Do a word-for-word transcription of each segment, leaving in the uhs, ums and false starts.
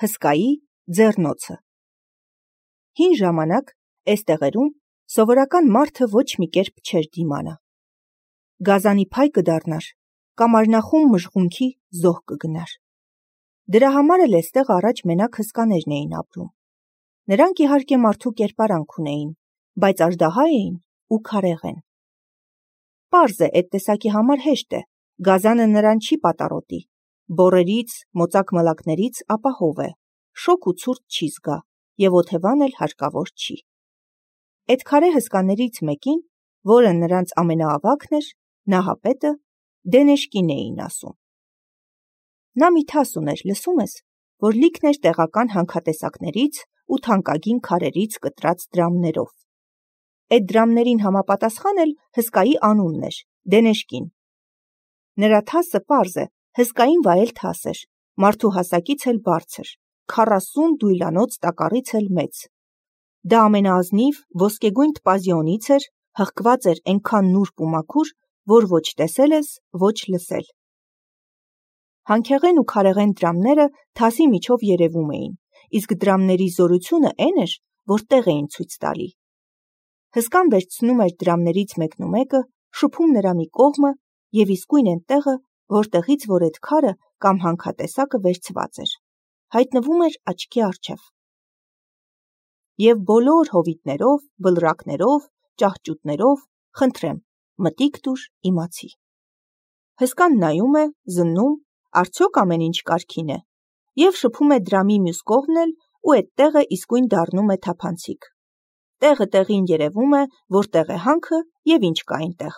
Հսկայի ձեռնոցը։ Հին ժամանակ այս տեղերում սովորական մարդը ոչ մի կերպ չէր դիմանա։ Գազանի փայ կդառնար, կամ արնախում մժղունքի զոհ կգնար։ Դրա համար էլ էստեղ առաջ մենակ հսկաներն էին ապրում։ Նրանք իհարկե մարդու կերպարանք ունեին, բայց աժդահա էին ու քարեղեն։ Պարզ է, այդ տեսակի համար հեշտ է, գազանը նրան չի պատառոտի, բոռերից, մոծակ մլակներից ապահով է, շոգ ու ցուրտ չի զգա, և օթևան էլ հարկավոր չի։ Այդ քարե հսկաներից մեկին, որը նրանց ամենաավագն էր, Նահապետը, Դենեշկին էին ասում։ Նա մի թաս ուներ, լսում ես, որ լիքն էր տեղական հանքատեսակներից ու թանկագին քարերից կտրած դրամներով։ Այդ դրամներին համապատասխան էլ հսկայի անունն էր՝ Դենեշկին։ Նրա թասը պարզ է, հսկային վայել թաս էր, մարդու հասակից էլ բարձր, քառասուն դույլանոց տակառից էլ մեծ։ Դա ամենաազնիվ ոսկեգույն տպազիոնից էր, հղկված էր այնքան նուրբ ու մաքուր, որ ոչ տեսել ես, ոչ լսել։ Հանքեղեն ու քարեղեն դրամները թասի միջով երևում էին, իսկ դրամների զորությունը էն էր, որ տեղ էին ցույց տալի։ Հսկան վերցնում էր դրամներից մեկն ու մեկը, շփում նրա մի կողմը և իսկույն էն տեղը, որտեղից որ այդ քարը կամ հանքատեսակը վերցված էր, հայտնվում էր աչքի առջև։ Եվ բոլոր հովիտներով, բլրակներով, ճահճուտներով, խնդրեմ, մտիկ տուր, իմացի։ Հսկան նայում է, զննում, արդյոք ամեն ինչ կարգին է, և շփում է դրամի մյուս կողմն էլ ու այդ տեղը իսկույն դառնում է թափանցիկ։ Տեղը տեղին երևում է, որտեղ է հանքը և ինչ կա այնտեղ։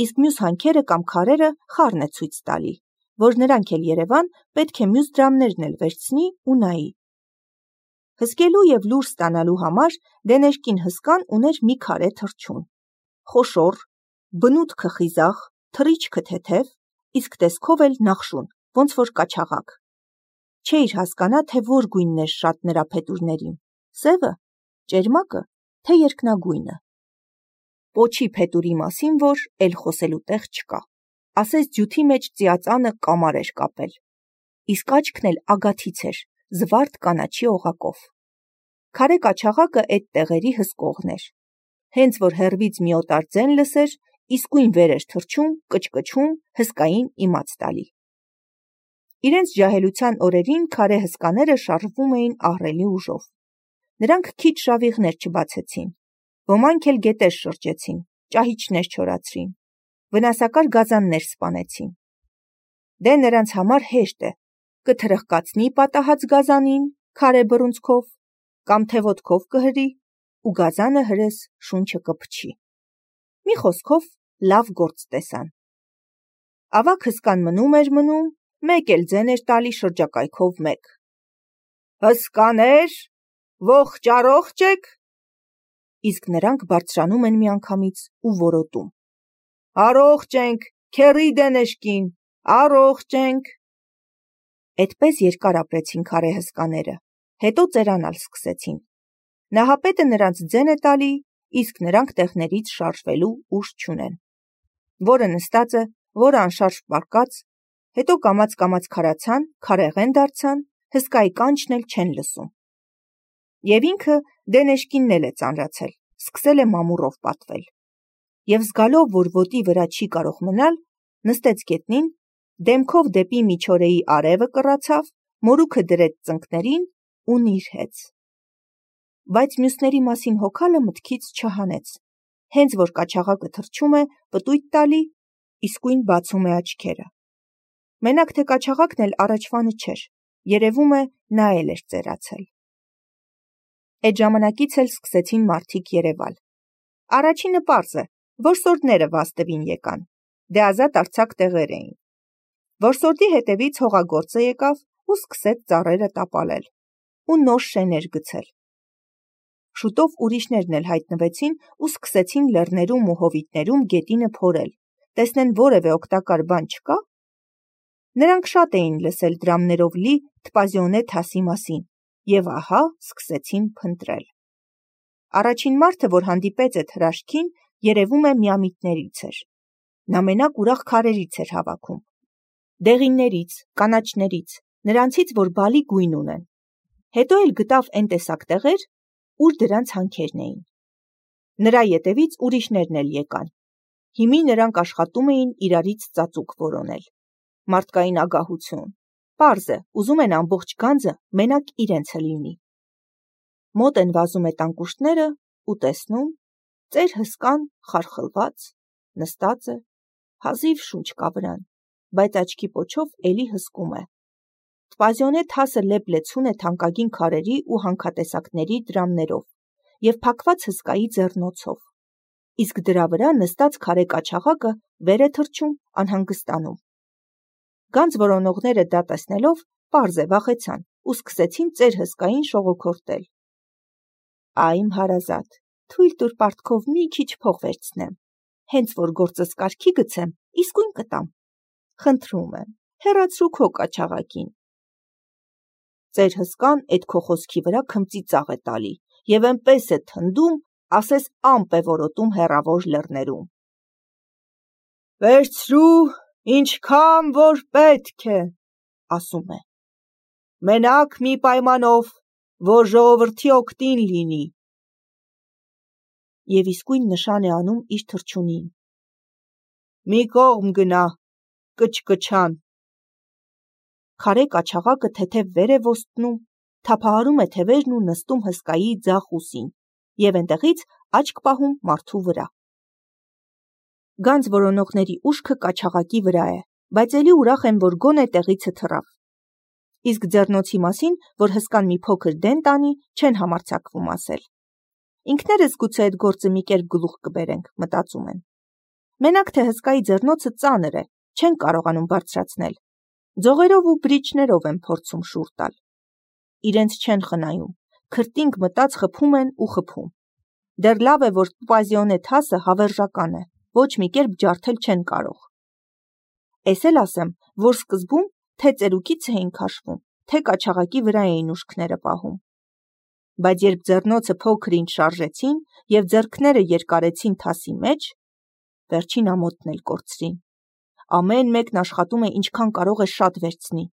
Իսկ մյուս հանքերը կամ քարերը խառն է ցույց տալի, որ նրանք էլ երևան, պետք է մյուս դրամներն էլ վերցնի ու նայի։ Հսկելու և լուր ստանալու համար Դենեշկին հսկան ուներ մի քարե թռչուն։ Խոշոր, բնութքը խիզախ, թռիչքը թեթև, իսկ տեսքով էլ նախշուն, ոնց որ կաչաղակ։ Չէիր հասկանա, թե որ գույնն էր շատ նրա փետուրներին՝ սևը, ճերմակը, թե երկնագույնը։ Պոչի փետուրի մասին որ էլ խոսելու տեղ չկա, ասես ջութի մեջ ծիածանը կամար էր կապել, իսկ աչքն էլ ագաթից էր, զվարթ կանաչի օղակով։ Քարե կաչաղակը այդ տեղերի հսկողն էր։ Հենց որ հեռվից մի օտար ձեն լսեր, իսկույն վեր էր թռչում, կչկչում, հսկային իմաց տալի։ Իրենց ջահելության օրերին քարե հսկաները շարժվում էին ահռելի ուժով։ Նրանք քիչ շավիղներ չբացեցին, ոմանք էլ գետեր շրջեցին, ճահիճներ չորացրին, վնասակար գազաններ սպանեցին։ Դե նրանց համար հեշտ է, կթրխկացնի պատահած գազանին քարե բռունցքով, կամ թե ոտքով կհրի, ու գազանը հրես շունչը կփչի։ Մի խոսքով լավ գործ տեսան։ Ավագ հսկան մնում էր մնում, մեկ էլ ձեն էր տալի շրջակայքով մեկ։ Հսկաներ, ողջ առողջ եք։ Իսկ նրանք բարձրանում են միանգամից ու որոտում. Առողջ ենք, քեռի Դենեշկին, առողջ ենք։ Այդպես երկար ապրեցին քարե հսկաները, հետո ծերանալ սկսեցին։ Նահապետը նրանց ձեն է տալի, իսկ նրանք տեղներից շարժվելու ուժ չունեն։ Որը նստած է, որը անշարժ պառկած, հետո կամաց-կամաց քարացան, քարեղեն դարձան, հսկայի կանչն էլ չեն լսում։ Եվ ինքը Դենեշկինն էլ է ծանրացել, սկսել է մամուռով պատվել։ Եվ զգալով, որ ոտի վրա չի կարող մնալ, նստեց գետնին, դեմքով դեպի միջօրեի արևը կռացավ, մորուքը դրեց ծնկներին ու նիրհեց։ Բայց մյուսների մասին հոգալը մտքից չհանեց։ Հենց որ կաչաղակը թռչում է, պտույտ տալի, իսկույն բացում է աչքերը։ Մենակ թե կաչաղակն էլ առաջվանը չէր, երևում է նա էլ էր ծերացել։ Այդ ժամանակից էլ սկսեցին մարդիկ երևալ։ Առաջինը պարզ է, որսորդները վաստվին եկան, դե ազատ արձակ տեղեր էին։ Որսորդի հետևից հողագործը եկավ ու սկսեց ծառերը տապալել ու նոր շեներ գցել։ Շուտով ուրիշներն էլ հայտնվեցին ու սկսեցին լեռներում ու հովիտներում գետինը փորել, տեսնեն որևէ օգտակար բան չկա։ Նրանք շատ էին լսել դրամներով լի Թպազիոնե թասի մասին և ահա սկսեցին փնտրել։ Առաջին մարդը, որ հանդիպեց այդ հրաշքին, երևում է միամիտներից էր։ Նա մենակ ուրախ քարերից էր հավաքում։ Դեղիններից, կանաչներից, նրանցից, որ բալի գույն ունեն։ Հետո էլ գտավ այն տեսակ տեղեր, ուր դրանց հանքերն էին։ Նրա ետևից ուրիշներն էլ եկան։ Հիմի նրանք աշխատում էին իրարից ծածուկ որոնել։ Մարդկային ագահություն։ Պարզ է, ուզում են ամբողջ գանձը մենակ իրենցը լինի։ Մոտ են վազում է տանկուշտները ու տեսնում, ծեր հսկան խարխլված, նստած է, հազիվ շունչ կա վրան, բայց աչքի պոչով էլի հսկում է։ Տպազիոնե թասը լեփ-լեցուն է թանկագին քարերի ու հանքատեսակների դրամներով և փակված հսկայի ձեռնոցով, իսկ դրա վրա նստած քարե կաչաղակը վեր է թռչում, անհանգստանում։ Գանձ որոնողները դա տեսնելով պարզ է վախեցան ու սկսեցին ծեր հսկային շողոքորթել։ Այ իմ հարազատ, թույլ տուր պարտքով մի քիչ փող վերցնեմ, հենց որ գործս կարգի գցեմ, իսկույն կտամ։ Խնդրում եմ, հեռացրու քո կաչաղակին։ Ծեր հսկան էդ քո խոսքի վրա քմծի ծաղ է տալի և էնպես է թնդում, ասես ամպ է որոտում հեռավոր լեռներում։ Վերցրու, ինչքան որ պետք է, ասում է։ Մենակ մի պայմանով, որ ժողովրդի օգտին լինի։ Եվ իսկույն նշան է անում իր թռչունին։ Մի կողմ գնա, կչկչան։ Քարե կաչաղակը թեթև վեր է ոստնում, թափահարում է թևերն ու նստում հսկայի ձախ ուսին և այնտեղից աչք պահում մարդու վրա։ Գանձ որոնողների ուշքը կաչաղակի վրա է, բայց էլի ուրախ են, որ գոնե տեղիցը թռավ։ Իսկ ձեռնոցի մասին, որ հսկան մի փոքր դեն տանի, չեն համարձակվում ասել։ Ինքներս գուցե այդ գործը մի կերպ գլուխ կբերենք, մտածում են։ Մենակ թե հսկայի ձեռնոցը ծանր է, չեն կարողանում բարձրացնել։ Ձողերով ու բրիչներով են փորձում շուռ տալ։ Իրենց չեն խնայում, քրտինք մտած խփում են ու խփում։ Դեռ լավ է, որ տուպազիոնե թասը հավերժական է, ոչ մի կերպ ջարդել չեն կարող։ Էս էլ ասեմ, որ սկզբում թե ծերուկից էին քաշվում, թե կաչաղակի վրա էին ուշքները պահում։ Բայց երբ ձեռնոցը փոքր-ինչ շարժեցին և ձեռքները երկարեցին թասի մեջ, վերջին ամոթն էլ կորցրին։ Ամեն մեկն աշխատում է ինչքան կարող է շատ վերցնի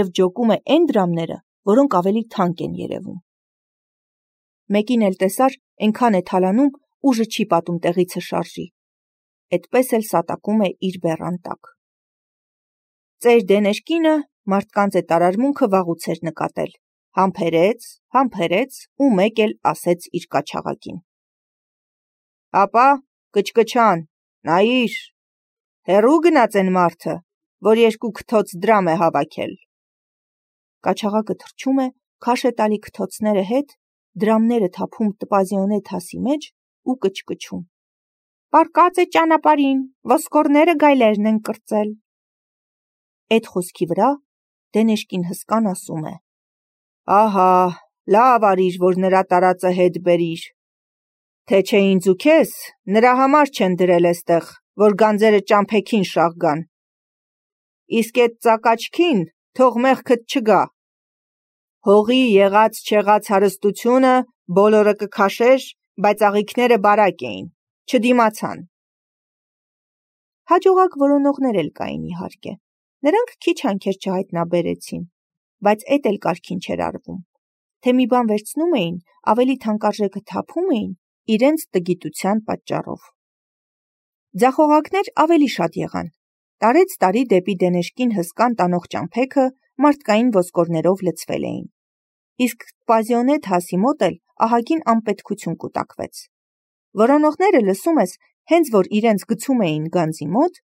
և ջոկում է այն դրամները, որոնք ավելի թանկ են երևում։ Մեկին էլ տեսար, այնքան է թալանում, ուժը չի պատում տեղիցը շարժի։ Էդպես էլ սատակում է իր բեռան տակ։ Ծեր Դենեշկինը մարդկանց այդ արարմունքը վաղուց էր նկատել, համբերեց, համբերեց ու մեկ էլ ասեց իր կաչաղակին. Ապա կչկչան, նայիր, հեռու գնաց են մարդը, որ երկու քթոց դրամ է հավաքել։ Կաչաղակը թռչում է, քաշ է տալի քթոցները հետ, դրամները թափում տպազիոնե թասի մեջ ու կչկչում։ Պառկած է ճանապարհին, ոսկորները գայլերն են կրծել։ Էդ խոսքի վրա Դենեշկին հսկան ասում է. Ահա, լավ արիր, որ նրա տարածը հետ բերիր։ Թե չէ ինձ ու քեզ, նրա համար չեն դրել էստեղ, որ գանձերը ճամփեքին շաղ գան։ Իսկ էդ ծակաչքին թող մեղքդ չգա։ Հողի եղած-չեղած հարստությունը բոլորը կքաշեր, բայց աղիքները բարակ էին, չդիմացան։ Հաջողակ որոնողներ էլ կային իհարկե։ Նրանք քիչ հանքեր չհայտնաբերեցին, բայց էդ էլ կարգին չէր արվում։ Թե մի բան վերցնում էին, ավելի թանկարժեքը թափում էին իրենց տգիտության պատճառով։ Ձախողակներ ավելի շատ եղան։ Տարեց տարի դեպի Դենեշկին հսկան տանող ճամփեքը մարդկային ոսկորներով լցվել էին։ Իսկ տպազիոնե թասի մոտ էլ ահագին անպետքություն կուտակվեց։ Որոնողները լսում ես, հենց որ իրենց գցում էին գանձի մոտ,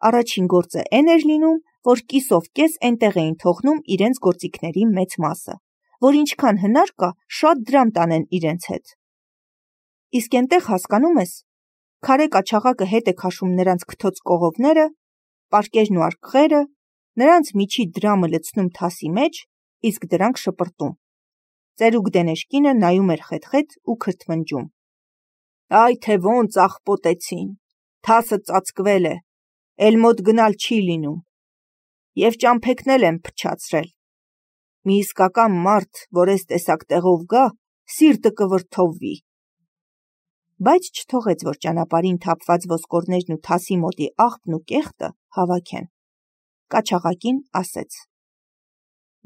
առաջին գործը այն էր լինում, որ կիսով կես այնտեղ էին թողնում իրենց գործիքների մեծ մասը, որ ինչքան հնար կա, շատ դրամ տանեն իրենց հետ։ Իսկ այնտեղ հասկանում ես, քարե կաչաղակը հետ է քաշում նրանց քթոց կողովները, պարկերն ու արկղերը, նրանց միջի դրամը լցնում թասի մեջ, իսկ դրանք շպրտում։ Ծերուկ Դենեշկինը նայում էր խեթ-խեթ ու քրթմնջում։ Այ թե ոնց աղպոտեցին, թասը ծածկվել է, էլ մոտ գնալ չի լինում։ Եվ ճամփեքն էլ են փչացրել։ Մի իսկական մարդ, որ էս տեսակ տեղով գա, սիրտը կվրդովվի։ Բայց չթողեց, որ ճանապարհին թափված ոսկորներն ու թասի մոտի աղբն ու կեղտը հավաքեն։ Կաչաղակին ասեց.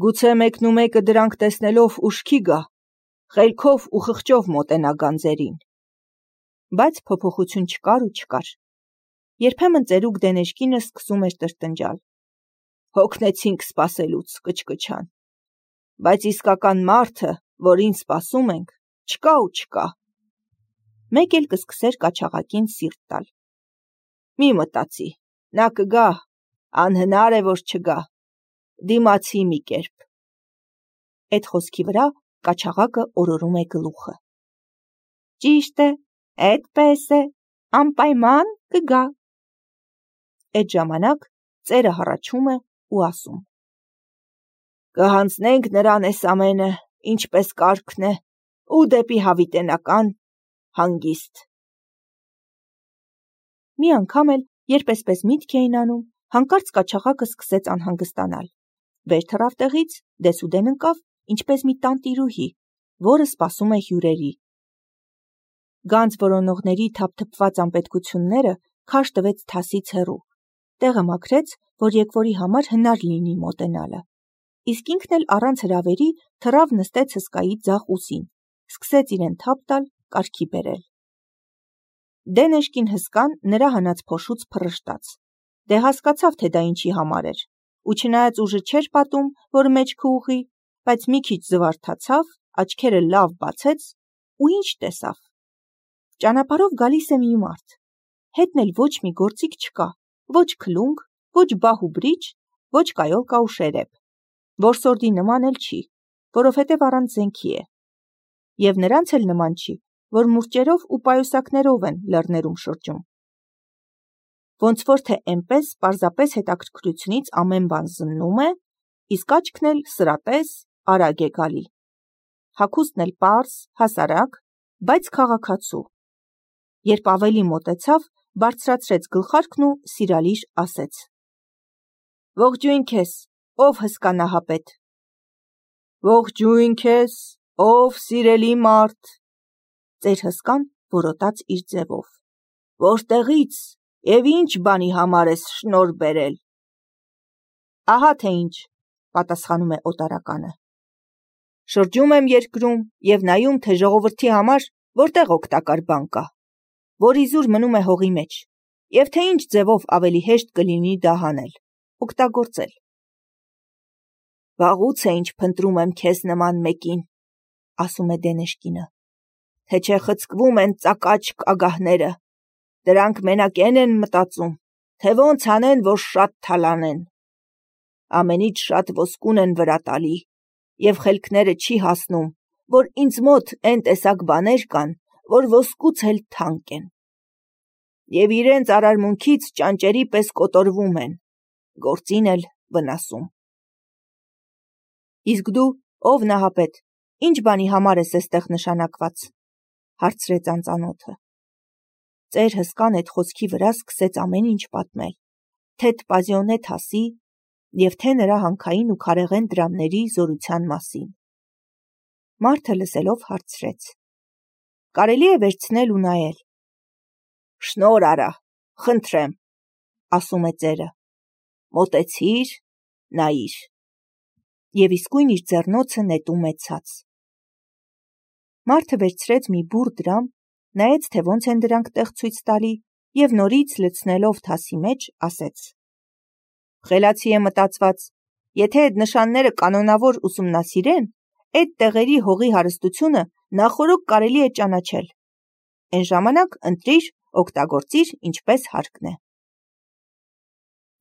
Գուցե մեկնումեկը դրանք տեսնելով ուշքի գա, խելքով ու խղճով մոտենա գանձերին։ Բայց փոփոխություն չկար ու չկար։ Երբեմն ծերուկ Դենեշկինը սկսում էր տրտնջալ։ Հոգնեցինք սպասելուց, կչկչան։ Բայց իսկական մարդը, որին սպասում ենք, չկա ու չկա։ Մեկ էլ կսկսեր կաչաղակին սիրտ տալ։ Մի մտածի, նա կգա, անհնար է, որ չգա, դիմացի մի կերպ։ Էդ խոսքի վրա կաչաղակը օրորում է գլուխը։ Ճիշտ է, էդպես է, անպայման կգա։ Էդ ժամանակ ծերը հառաչում է ու ասում. Կհանձնենք նրան էս ամենը, ինչպես կարգն է, ու դեպի հավիտենական հանգիստ։ Մի անգամ էլ, երբ էսպես միտք էին անում, հանկարծ կաչաղակը սկսեց անհանգստանալ։ Վեր թռավ տեղից, դեսուդեն ընկավ, ինչպես մի տանտիրուհի, որը սպասում է հյուրերի։ Գանձ որոնողների թափթփված անպետքությունները քարշ տվեց թասից հեռու, տեղը մաքրեց, որ եկվորի համար հնար լինի մոտենալը։ Իսկ ինքն էլ առանց հրավերի թռավ նստեց հսկայի ձախ ուսին, սկսեց իրեն թափ տալ, կարգի բերել։ Դենեշկին հսկան նրա հանած փոշուց փռշտաց։ Դե հասկացավ, թե դա ինչի համար էր, ու չնայած ուժը չէր պատում, որ մեջքը ուղղի, բայց մի քիչ զվարթացավ, աչքերը լավ բացեց ու ինչ տեսավ։ Ճանապարհով գալիս է մի մարդ, հետն էլ ոչ մի գործիք չկա, ոչ քլունգ, ոչ բահ ու բրիջ, ոչ կայոլկա ու շերեփ, որսորդի նման էլ չի, որովհետև առանց զենքի է, և նրանց էլ նման չի, որ մուրճերով ու պայուսակներով են լեռներում շրջում։ Ոնց որ թե էնպես պարզապես հետաքրքրությունից ամեն բան զննում է, իսկ աչքն էլ սրատես, արագ է գալի։ Հագուստն էլ պարզ, հասարակ, բայց քաղաքացու։ Երբ ավելի մոտեցավ, բարձրացրեց գլխարկն ու սիրալիր ասեց. Ողջույն քեզ, ով հսկա նահապետ։ Ողջույն քեզ, ով սիրելի մարդ։ Ծեր հսկան որոտաց իր ձևով. Որտեղից և ինչ բանի համար ես շնորհ բերել։ Ահա թե ինչ, պատասխանում է օտարականը։ Շրջում եմ երկրում և նայում, թե ժողովրդի համար որտեղ օգտակար բան կա, որ իզուր մնում է հողի մեջ, և թե ինչ ձևով ավելի հեշտ կլինի դա հանել, օգտագործել։ Վաղուց է ինչ փնտրում եմ քեզ նման մեկին, ասում է Դենեշկինը, թե չէ խցկվում են ծակաճ ագահները, դրանք մենակ են են մտածում, թե ոնց անեն, որ շատ թալանեն։ Ամենից շատ ոսկուն են վրա տալի, և խելքները չի հասնում, որ ինձ մոտ են տեսակ բաներ կան, որ ոսկուց էլ թանկ են։ Եվ իրենց արարմունքից ճանճերի պես կոտորվում են, գործին էլ վնասում։ Իսկ դու, ով նահապետ, ինչ բանի համար ես էստեղ նշանակված, հարցրեց անծանոթը։ Ծեր հսկան էդ խոսքի վրա սկսեց ամեն ինչ պատմել, թե Տպազիոնե թասի և թե նրա հանքային ու քարեղեն դրամների զորության մասին։ Մարդը լսելով հարցրեց. Կարելի է վերցնել ու նայել։ Շնորհ արա, խնդրեմ, ասում է ծերը։ Մոտեցիր, նայիր։ Եվ իսկույն իր ձեռնոցը նետում է ցած։ Մարդը վերցրեց մի բուռ դրամ, նայեց, թե ոնց են դրանք տեղ ցույց տալի, և նորից լցնելով թասի մեջ, ասեց. Խելացի է մտածված, եթե այդ նշանները կանոնավոր ուսումնասիրեն, այդ տեղերի հողի հարստությունը նախօրոք կարելի է ճանաչել։ Էն ժամանակ ընտրիր, օգտագործիր, ինչպես հարկն է։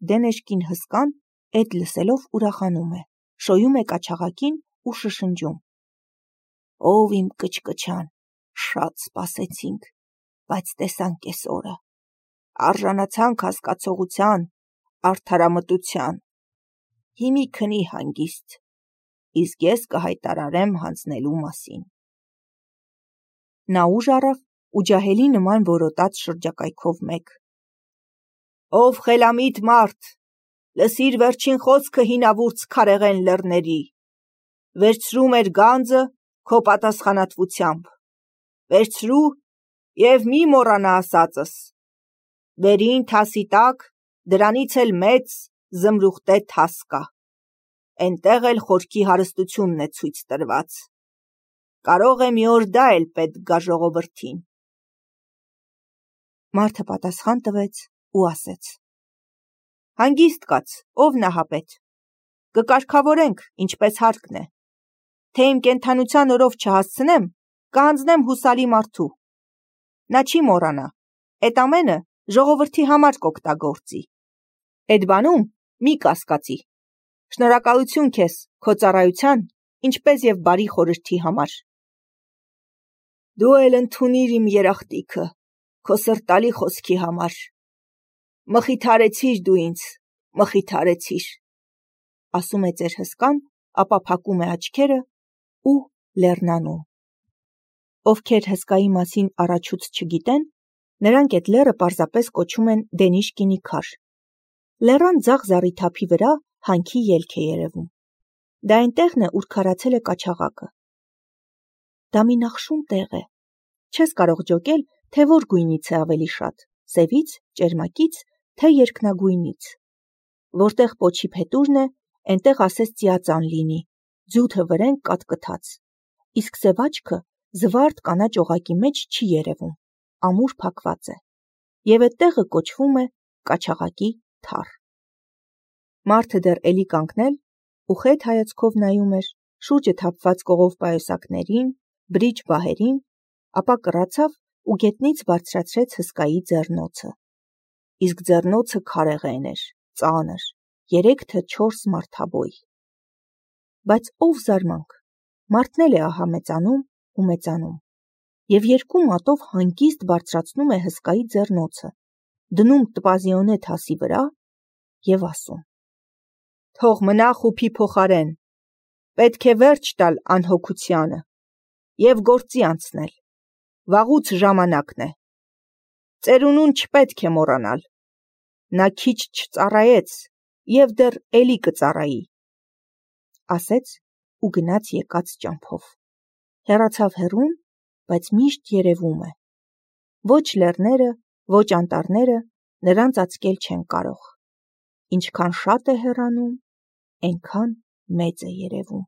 Դենեշկին հսկան էդ լսելով ուրախանում է, շոյում է կաչաղակին ու շշնջում. Ով իմ կչկչան, շատ սպասեցինք, բայց տեսանք էս օրը, արժանացանք հասկացողության, արդարամտության, հիմի քնի հանգիստ, իսկ ես կհայտարարեմ հանձնելու մասին։ Նա ուժ առավ ու ջահելի նման որոտաց շրջակայքով մեկ. Ով խելամիտ մարդ, լսիր վերջին խոսքը հինավուրց քարեղեն լեռների, վերցրու մեր գանձը քո պատասխանատվությամբ, վերցրու և մի մոռանա ասածս, վերին թասի տակ դրանից էլ մեծ զմրուխտե թաս կա, Էնտեղ էլ խորքի հարստությունն է ցույց տրված։ Կարող է մի օր դա էլ պետք գա ժողովրդին։ Մարդը պատասխան տվեց ու ասեց. Հանգիստ կաց, ով նահապետ։ Կկարգավորենք, ինչպես հարկն է։ Թե իմ կենդանության օրով չհասցնեմ, կհանձնեմ հուսալի մարդու։ Նա չի մոռանա, էդ ամենը ժողովրդի համար կօգտագործի։ Էդ բանում մի կասկածի։ Շնորհակալություն քեզ քո ծառայության, ինչպես եւ բարի խորհրդի համար։ Դու էլ ընդունիր իմ երախտիկը, քո սրտալի խոսքի համար։ Մխիթարեցիր դու ինձ, մխիթարեցիր, ասում է ձեր հսկան, ապա փակում է աչքերը ու լեռնանում։ Ովքեր հսկայի մասին առաջուց չգիտեն, նրանք այդ լեռը պարզապես կոչում են Դենիշկինի քար։ Լեռան ձախ զառիթափի վրա հանքի ելք է երևում։ Դա այնտեղն է, ուր քարացել է կաչաղակը։ Դա մի նախշուն տեղ է։ Չես կարող ջոկել, թե որ գույնից է ավելի շատ՝ սևից, ճերմակից, թե երկնագույնից։ Որտեղ պոչի փետուրն է, այնտեղ ասես ծիածան լինի, ձյութը վրեն կատկթած, իսկ սև աչքը զվարթ կանաչ օղակի մեջ չի երևում, ամուր փակված է, եւ այդ տեղը կոչվում է Կաչաղակի թառ։ Մարդը դեռ էլի կանգնել ու խետ հայացքով նայում էր շուրջը թափված կողով պայուսակներին, բրիջ բահերին, ապա կռացավ ու գետնից բարձրացրեց հսկայի ձեռնոցը։ Իսկ ձեռնոցը քարեղեն էր, ծանր, երեք թե չորս մարդաբոյ։ Բայց ով զարմանք, մարդն էլ է ահա մեծանում ու մեծանում, եւ երկու մատով հանգիստ բարձրացնում է հսկայի ձեռնոցը, դնում տպազիոնե թասի վրա եւ ասում. Թող մնա խուփի փոխարեն, պետք է վերջ տալ անհոգությանը եւ գործի անցնել, վաղուց ժամանակն է, ծերունուն չպետք է մոռանալ, նա քիչ չծառայեց եւ դեռ էլի կծառայի, ասեց ու գնաց եկած ճամփով, հեռացավ հեռուն, բայց միշտ երևում է, ոչ լեռները, ոչ անտառները նրան ծածկել չեն կարող, ինչքան շատ է հեռանում, այնքան մեծ է երևում։